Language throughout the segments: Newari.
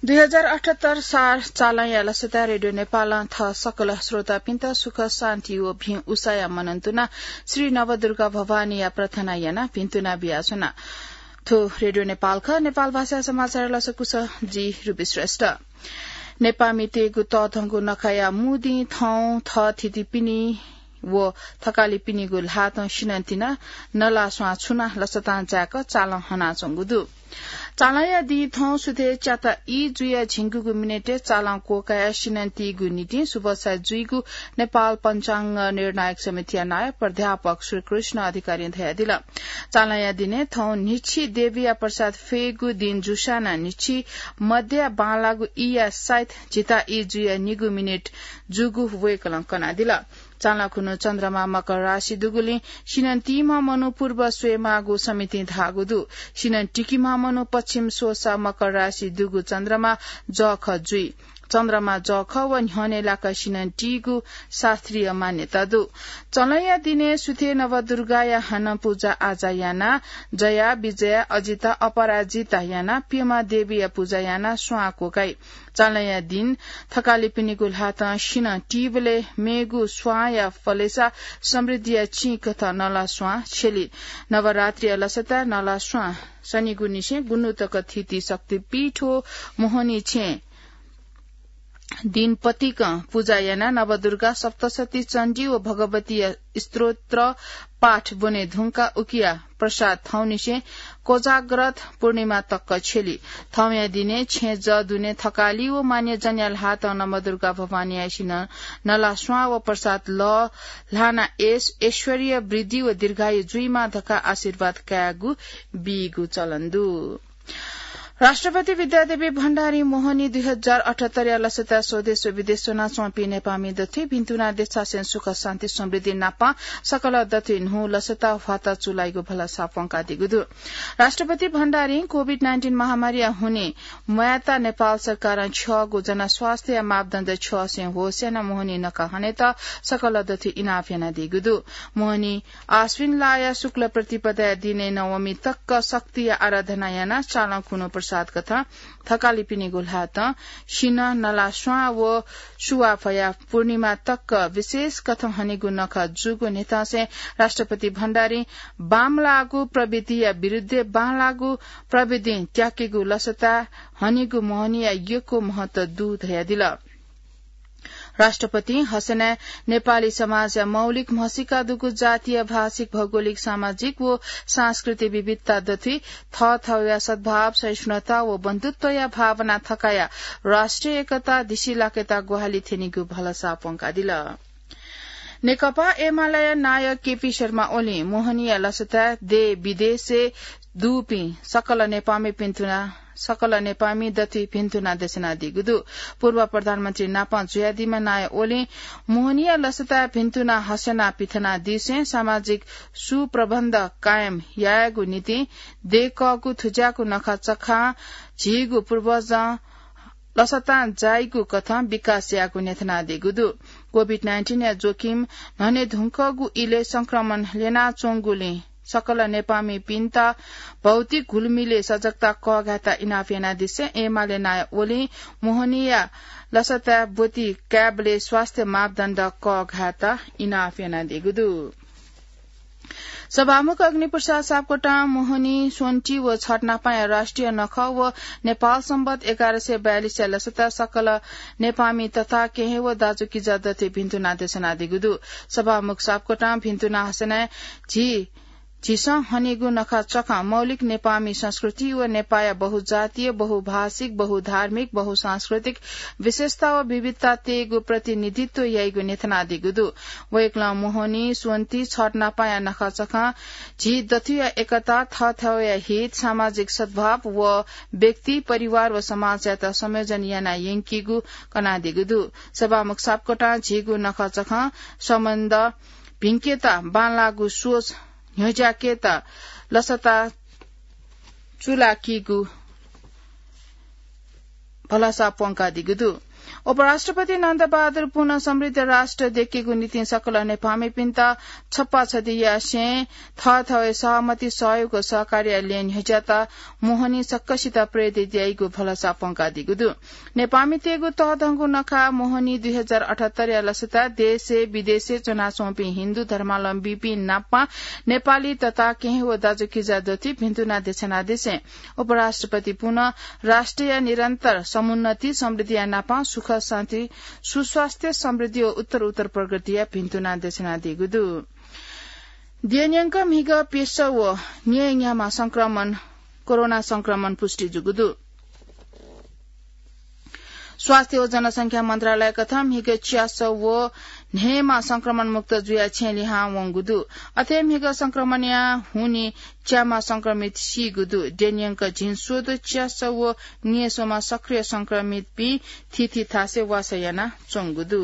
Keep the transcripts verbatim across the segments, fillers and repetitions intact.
दुई हजार अठहत्तर सार चालंया लसताय् रेडियो नेपालं थः सकल श्रोतापिन्त सुख, शान्ति व भिं उसाया मनंतुना श्री नवदुर्गा भवानीया प्रार्थना याना भिंतुना बियाच्वना। थ्व रेडियो नेपाल खः। नेपाल भाषा समाचार लसकुस जि रुबी श्रेष्ठ। नेपामितय्गु तःधंगु नखाया मू दिं थौं थःथितिपिनि व थकालिपिनिगु ल्हातं सिनंतिना नलास्वां छुना लसतां जाय्क चालं हनाच्वंगु दु। चालंया दिं थौं सुथय् च्याता ई जुया झिंगुगु मिनेटय् चालं क्वकाया सिनंतीगु निंतिं सुबसा जुइगु नेपाल पञ्चाङ्ग निर्णायक समितिया नायः प्राध्यापक श्रीकृष्ण अधिकारीं धयादिल। चालंया दिनय् थौं न्हिछि देवीया प्रसाद फयेगु दिं जूसां नं न्हिछि मध्य बांलाःगु ईया साइत झिता ई जुया निगू मिनेट जूगु वय्कलं कनादिल। चालं खुन्हु चन्द्रमा मकर राशि दुगुलिं सिनंतीम्ह मनू पूर्व स्वयेमाःगु समितिं धाःगु दु। सिनं टिकीम्ह मनू पश्चिम स्वःसा मकर राशि दुगु चन्द्रमा जःखः जुइ। चन्द्रमा जःखः व न्ह्यःने लाक सिनंतीगु शास्त्रीय मान्यता दु। चालंया दिनय् सुथय् नवदुर्गाया हानं पूजा आजा याना, जया, विजया, अजिता, अपराजिता याना, प्यम्ह देवीया पूजा याना स्वां क्वकाइ। चालंया दिं थकालिपिनिगु ल्हातं सिनं तीबलय् मेगु स्वांया फलय्सा समृद्धिया चिं कथं नलास्वां छ्यली। नवरात्रिया लसताय् नलास्वां सनिगु निसें गुन्हु तक थिति शक्तिपीठ व मोहनी छेँय् दिं पतिकं पूजा यानाः नवदुर्गा, सप्तशती चण्डी व भगवतीया स्तोत्र पाठ ब्वने धुंकाः उकिया प्रसाद थौंनिसें कोजाग्रत पूर्णिमा तक छ्यली। थौंया दिनय् छेँ जः दुने थकालि व मान्यजनया ल्हातं नवदुर्गा भवानीया सिनं नलास्वां व प्रसाद लः ल्हाना यश, ऐश्वर्य, वृद्धि व दीर्घायु जुइमा धकाः आशीर्वाद कायेगु बीगु चलन दु। राष्ट्रपति विद्यादेवी भण्डारी मोहनी दुई हजार अठहत्तरया लसताय् स्वदेश व विदेश च्वनाच्वंपिं नेपाःमि दथुइ भिन्तुना देछासें सुख, शान्ति, समृद्धि नापं सकल दथुइ न्हू लसता ह्वाता चूलाइगु भलसा प्वंकादीगु दु। राष्ट्रपति भण्डारीं कोभिड नाइन्टिन महामारीया हुनिं म्वायेत नेपाल सरकारं छ्यःगु जनस्वास्थ्यया मापदण्ड छ्यःसें होस यानाः मोहनी नखः हनेत सकल दथुइ इनाप यानादीगु दु। मोहनी आश्विन लाया शुक्ल प्रतिपदाया दिनय् नवमी तक शक्तिया आराधना यानाः चालं खुन्हु प्रसाद कथं थकालिपिनिगु ल्हातं सिनं नलास्वां व सुवाफया पूर्णिमा तक विशेष कथं हनेगु नखः जूगु न्ह्यथंसें राष्ट्रपति भण्डारीं बांमलाःगु प्रविधिया विरुद्धय् बांलाःगु प्रविधिं त्याकेगु लसताय् हनेगु मोहनीया यक्व महत्व दु धयादिल। राष्ट्रपतिं हसनाय् नेपाली समाजया मौलिक म्हसीका दुगु जातीय, भाषिक, भौगोलिक, सामाजिक व सांस्कृतिक विविधता दथुइ थःथःया सद्भाव, सहिष्णुता व बन्धुत्वया भावना थकाया राष्ट्रिय एकता दिसिलाकेत ग्वाहालि थ्यनीगु भलसा प्वंकादिल। नेकपा एमालेया नायः केपी शर्मा ओलीं मोहनीया लसताय् देय् विदेशय् दुपिं सकल नेपाःमि भिन्तुना, सकल नेपाःमि दथुइ भिन्तुना देछानादीगु दु। पूर्व प्रधानमन्त्री नापं जुयादीम्ह नायः ओलीं मोहनीया लसताय् भिन्तुना हसना पिथनादीसें सामाजिक सुप्रबन्ध कायम यायेगु निंतिं दय्कःगु थुज्याःगु नखःचखं झीगु पूर्वजं लसतां जाइगु कथं विकास याःगु न्ह्यथनादीगु दु। कोभिड नाइन्टिनया जोखिम न्हने धुंकूगु इलय् संक्रमण ल्यनाच्वंगुलिं सकल नेपाःमिपिन्त भौतिक घुलमिलय् सजगता कःघायेत इनाप यानादिसें एमाले नायः ओलीं मोहनीया लसताय् ब्वति कायेबलय् स्वास्थ्य मापदण्ड कःघायेत इनाप यानादीगु दु। सभामुख अग्निप्रसाद सापकोटां मोहनी, स्वन्ति व छठ नापांया राष्ट्रिय नखः व नेपाल संवत् एघार सय बयालिसया लसताय् सकल नेपाःमि तथा केहेँ व दाजुकिजा दथुइ भिन्तुना देछानादीगु दु। सभामुख सापकोटां भिन्तुना हसनाय् झी झीसं हनेगु नखःचखं मौलिक नेपाःमि संस्कृति व नेपाःया बहुजातीय, बहुभाषिक, बहुधार्मिक, बहुसांस्कृतिक विशेषता व विविधता तयेगु प्रतिनिधित्व याइगु न्ह्यथनादीगु दु। वय्कलं मोहनी, स्वन्ति, छठ नापांया नखःचखं झी दथुया एकता, थःथःया हित, सामाजिक सद्भाव व व्यक्ति, परिवार व समाजयात संयोजन याना यंकीगु कनादीगु दु। सभामुख सापकोटां झीगु नखःचखं सम्बन्ध भिंकेत बांलाःगु सोच न्ह्यज्याकेत लसता चुलाकीगु भलसा प्वंकादीगु दु। उपराष्ट्रपति नन्दबहादुर पुन समृद्ध राष्ट्र दयेकेगु निंतिं सकल नेपाःमिपिन्त छप्पा छधि यासें थःथःया सहमति, सहयोग व सहकार्यया लँय् न्ह्यज्यात मोहनी सकसित प्रेरित याइगु भलसा प्वंकादीगु दु। नेपाःमितय्गु तःधंगु नखः मोहनी दुई हजार अठहत्तर या लसता देशय् विदेशय् च्वनाच्वंपिं हिन्दू धर्मावलम्बीपिं नापं नेपाली तता केहेँ व दाजुकिजा दथुइ भिन्तुना देछानादिसें उपराष्ट्रपति पुन राष्ट्रया निरन्तर समुन्नति, समृद्धिया नापं सुख, शान्ति, सुस्वास्थ्य, समृद्धि व उत्तर उत्तर प्रगतिया भिन्तुना देछानादीगु दु। द्यःन्यंक म्हिगः प्यसः व न्येन्याम्ह संक्रमण, कोरोना संक्रमण पुष्टि जूगु दु। स्वास्थ्य व जनसंख्या मन्त्रालय कथं म्हिगः च्यासः व न्हय्म्ह संक्रमण मुक्त जुयाः छेँ लिहां वंगु दु। अथे म्हिगः संक्रमणया हुनिं च्याम्ह संक्रमित सीगु दु। द्यःन्यंक झिंस्वदँ च्यासः व न्येस्वम्ह सक्रिय संक्रमितपिं थीथी थासय् वासः यानाच्वंगु दु।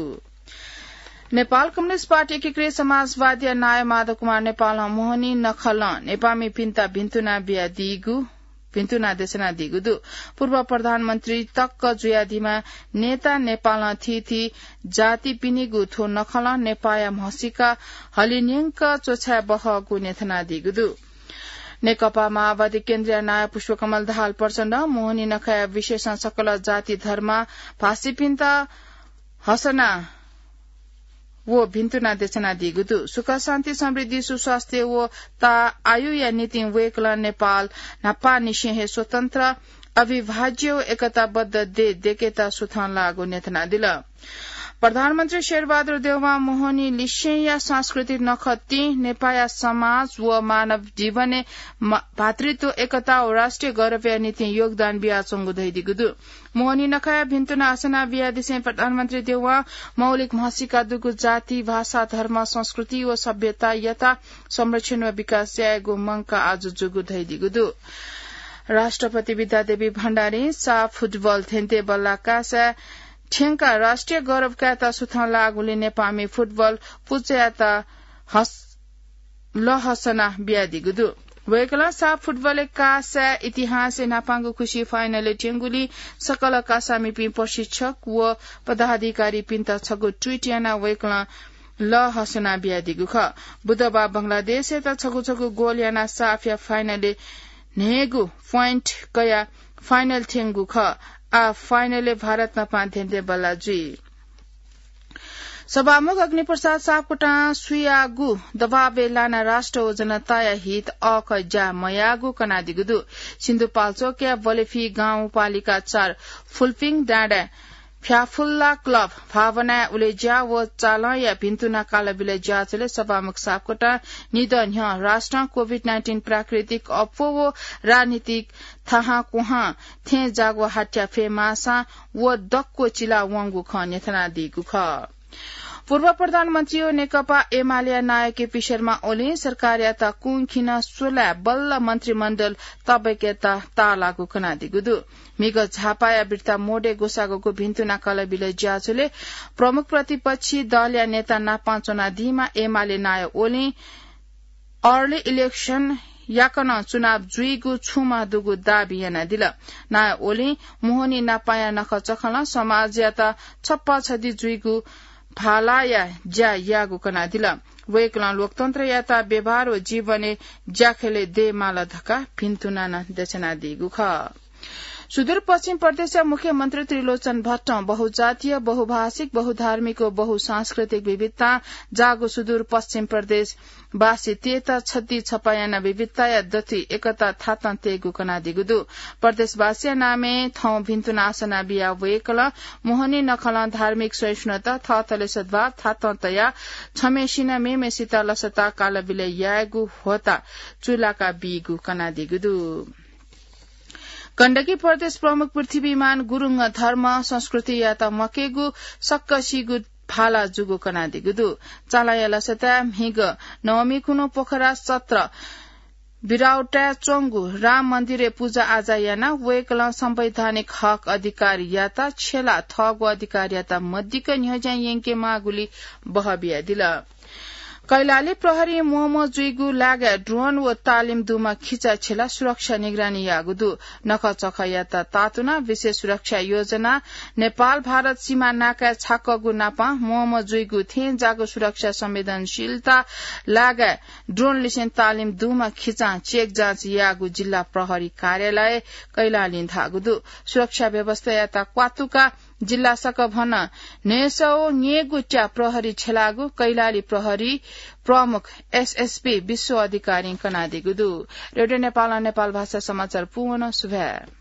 नेपाल कम्युनिस्ट पार्टी एकीकृत समाजवादीया नायः माधव कुमार नेपालं मोहनी नखलं नेपाःमिपिन्त भिन्तुना बियादीगु, भिन्तुना देछानादीगु दु। पूर्व प्रधानमन्त्री तक जुयादीम्ह नेता नेपालं थीथी जातिपिनिगु थ्व नखलं नेपाःया म्हसीका हलिन्यंक च्वछाये बहःगु न्ह्यथनादीगु दु। नेकपा माओवादी केन्द्रीय नायः पुष्पकमल दाहाल प्रचण्डं मोहनी नखःया विषयय् सकल जाति, धर्म, भाषीपिन्त हसना व भिन्तुना देछानादीगु दु। सुख, शान्ति, समृद्धि, सुस्वास्थ्य व ताः आयुया निंतिं वय्कलं नेपाल न्हापांनिसें हे स्वतन्त्र, अविभाज्य व एकताबद्ध देय् दयेकेत सुथं लाःगु न्ह्यथनादिल। प्रधानमन्त्री शेरबहादुर देउवां मोहनी लिसेंया सांस्कृतिक नखःतिं नेपाःया समाज व मानव जीवनय् मा-, भातृत्व, एकता व राष्ट्रिय गौरवया निंतिं योगदान बियाच्वंगु धयादीगु दु। मोहनी नखःया भिन्तुना हसना बियादिसें प्रधानमन्त्री देउवां मौलिक म्हसीका दुगु जाति, भाषा, धर्म, संस्कृति व सभ्यतायात संरक्षण व विकास यायेगु मंकाः आजु जूगु धयादीगु दु। राष्ट्रपति विद्यादेवी भण्डारीं साफ फुटबल धेंधेंबल्लाः कासाय् थ्यंकाः राष्ट्रिय गौरव कायेत सुथं लाःगुलिं नेपाःमि फुटबल पुचःयात हस-, लःहसना बियादीगु दु। वय्कलं साफ फुटबलय् कासाय् इतिहासय् न्हापांगु खुसि फाइनलय् थ्यंगुलिं सकल कासामिपिं प्रशिक्षक व पदाधिकारीपिन्त छगू ट्वीट यानाः वय्कलं लःहसना बियादीगु खः। बुधबाः बंगलादेशयात छगू छगू गोल यानाः साफया फाइनलय् न्हय्गू प्वाइन्ट कयाः फाइनल थ्यंगु खः। आः फाइनलय् भारत नापं धेंधेंबल्लाः जुइ। सभामुख अग्निप्रसाद सापकोटां सुयागु दबावय् लानाः राष्ट्र व जनताया हित अःखः ज्या मयाःगु कनादीगु दु। सिन्धुपाल्चोकया बलेफी गाउँपालिका चार फुल्पिङ डाँडाय् फ्याफुल्ला क्लब भावनाया उलेज्या व चालंया भिन्तुना कालबिलय् ज्याझ्वलय् सभामुख सापकोटां निदँ न्ह्यः राष्ट्रं कोभिड नाइन्टिन प्राकृतिक अप्वः व राजनीतिक थाहां क्वहां थें जाग्वः हात्या फयेमाःसां व दक्व चिला वंगु खँ न्ह्यथनादीगु खः। पूर्व प्रधानमन्त्री व नेकपा एमालेया नायः केपी शर्मा ओलीं सरकारयात कुंखिन स्वलाय् बल्ल मन्त्रीमण्डल तबेकयात ताःलाःगु कनादीगु दु। म्हिगः झापाया बिर्ता मोडय् ग्वसाःगु भिन्तुना कालबिलय् ज्याझ्वलय् प्रमुख प्रतिपक्षी दलया नेता नापं च्वनादीम्ह एमाले नायः ओलीं early election याकनं चुनाव जुइगु छुं दुगु दाबी यानादिल। नायः ओलीं मोहनी नापांया नखःचखलं समाजयात छप्पा छधि जुइगु भालाया ज्या याःगु कनादिल। वय्कलं लोकतन्त्रयात व्यवहार व जीवनय् ज्याखँय् दयेमाल धकाः भिन्तुना नं देछानादीगु खः। सुदूरपश्चिम प्रदेशया मुख्यमन्त्री त्रिलोचन भट्टं बहुजातीय, बहुभाषिक, बहुधार्मिक व बहुसांस्कृतिक विविधतां जाःगु सुदूरपश्चिम प्रदेशवासीतय्त छधि छप्पा यानाः विविधताया दथुइ एकता थातं तयेगु कनादीगु दु। प्रदेशवासीया नामय् थौं भिन्तुना हसना बियाः वय्कलं मोहनी नखलं धार्मिक सहिष्णुता, थःथःलय् सद्भाव थातं तयाः छम्हेसिनं मेम्हेसित लसता कालबिलय् यायेगु ह्वःताः चूलाका बीगु कनादीगु दु। गण्डकी प्रदेश प्रमुख पृथ्वीमान गुरुङ धर्म संस्कृतियात म्वाकेगु सक्कसिगु भाला जूगु कनादीगु दु। चालाया लसताय् म्हिगः नवमी खुन्हु पोखरा सत्र बिराउटाय् च्वंगु राम मन्दिरय् पुजा आजा यानाः वय्कलं संवैधानिक हक अधिकारयात छ्यलाः थःगु अधिकारयात मदिक्क न्ह्यज्यां यंकेमाःगुली बहः बियादिल। कैलाली प्रहरी म्वःम्वः जुइगु लागाय् ड्रोन व तालिम दुम्ह खिचा छेला सुरक्षा निगरानी याःगु दु। नखःचखःयात तातुना विशेष सुरक्षा योजना नेपाल भारत सीमा नाकाय् छाकःगु नापं म्वःम्वः जुइगु थेंजाःगु सुरक्षा संवेदनशीलता लागाय् ड्रोन लिसें तालिम दुम्ह खिचां चेक जाँच याःगु जिल्ला प्रहरी कार्यालय कैलालीं धाःगु दु। सुरक्षा व्यवस्थायात क्वातुका जिल्ला सकभनं न्हय्‌सौ न्येगु च्या प्रहरी छेलाःगु कैलाली प्रहरी प्रमुख एसएसपी विश्व अधिकारीं कनादीगु दु। रेडियो नेपालं नेपाल भाषा समाचार पूवन सुभाय्।